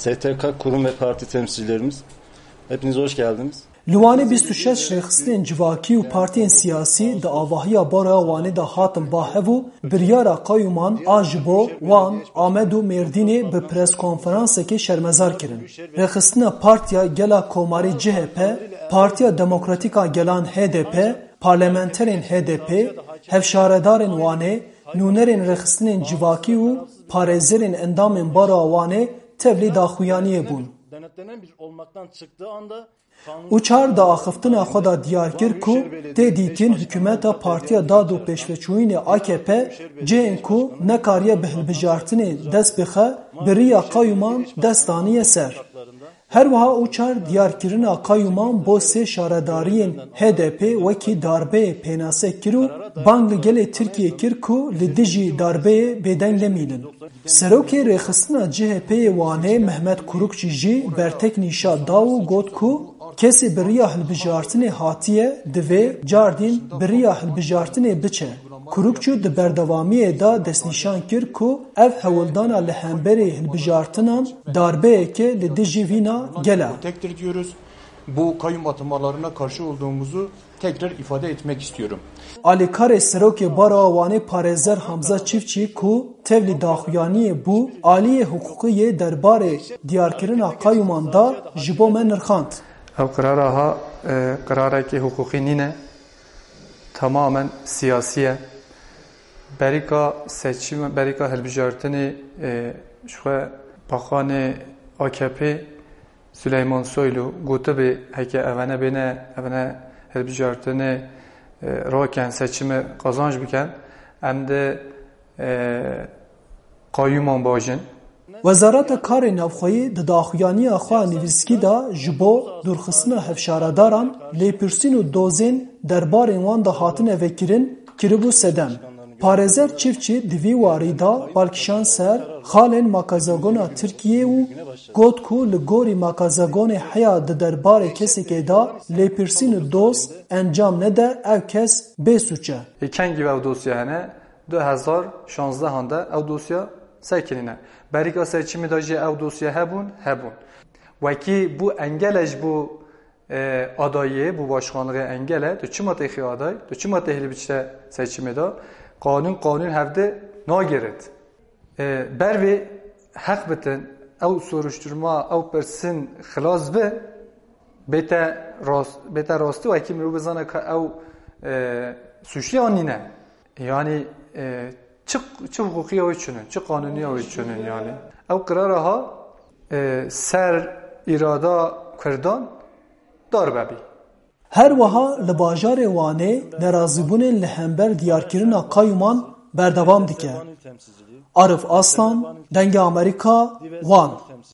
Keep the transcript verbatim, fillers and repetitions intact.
S T K kurum ve parti temsilcilerimiz, hepiniz hoş geldiniz. Li Wanê bîst û şeş rêxistinên civakî û partiyên siyasî di avahiya Baroya Wanê de hatin ba hev û biryara qayûman a ji bo Wan, Amed û Mêrdînê bi preskonferansekê şermezar kirin. Rêxistina Partiya Gela Komarî C H P, Partiya Demokratîk a Gelan H D P, parlamenterên H D P, hevşaredarên Wanê, nûnerên rêxistinên civakî û parêzerên endamên Baroya Wanê tevlî daxuyaniyê bûn. Uçar di axiftina xwe de diyar kir ku tê dîtin hikûmeta Partiya Dad û Pêşveçûyînê A K P cihên ku nekariye bi hilbijartinê dest bixe, bi riya qayûman dest daniye ser. Her wiha Uçar diyarkirina qayûman bo sê şaredariyên H D P wekî darbeyê pênase kir û bang li gelê Tirkiyê kir ku li dijî darbeyê bêdeng nemînin. Serokê rêxistina C H P'ê Wanê Mehmet Kurukçî jî bertek nîşa da û got ku kesê bi riya hilbijartinê hatiye, divê cardîn bi riya hilbijartinê biçe. Kurukçî di berdewamiyê de destnîşan kir ku ev hewldana li hemberî hilbijartinan darbeyeke li dijî vîna gel e. Tektir diyoruz. Bu kayyum atamalarına karşı olduğumuzu tekrar ifade etmek istiyorum. Alîkarê Serokê Baroya Wanê parêzer Hamza Çiftçî ku tevlî daxuyaniyê bû, aliyê hiqûqî yê derbarê diyarkirina qayûman da ji bo me nirxand. Ev qirara ha, e, qirarekî hiqûqî nîne, tamamen siyasî ye. Berîka seçim, berîka hilbijartinê, e, ji xwe Baxanê A K P Süleyman Soylu gotibê, heke evene bêne, evene hilbijartinê, e, raken, seçimê qazanc biken, em dê, e, qayûman bajin. Wezareta Karê Navxweyî di daxuyaniya xwe ya nivîskî de ji bo dûrxistina hevşaredaran, lêpirsîn û dozên derbarên wan de hatine vekirin, kiribû sedem. Parêzer Çiftçî di vî warî de bal kişand ser xalên makazagona Tirkiyê û got ku li gorî makazagonê heya di derbarê kesekê de lêpirsîn û doz encam nede, ev kes bê sûc e. Ê kengî ev dosya hene? Du hezar şanzdehan de ew dosya sekinîne. Berîka seçimê de jî ew dosya hebûn, hebûn. Wekî bû engel e ji bo, e, adayiyê, bo başkanlığê engel e. Tu çima têxî aday? Tu çima têxî li biçte seçimê de? Qanûn, qanûn hevdi nagirit. E, ber vê heq bitin, ew soruşturma, ew pirsin xilas bi, bête rast-, bête rastî wekî mirov bizane ka ew, e, suçlu an nîne. Yani, e, çi, çi huquqiya wê çinin, çi qanûniya wê çinin yani. Ew qirara ha, e, ser îrada Kurdan darbe bî. Her wiha li bajarê Wanê nerazîbûnên li hember diyarkirina qayûman berdewam dike. Arif Aslan, Dengê Amerîka, Wan.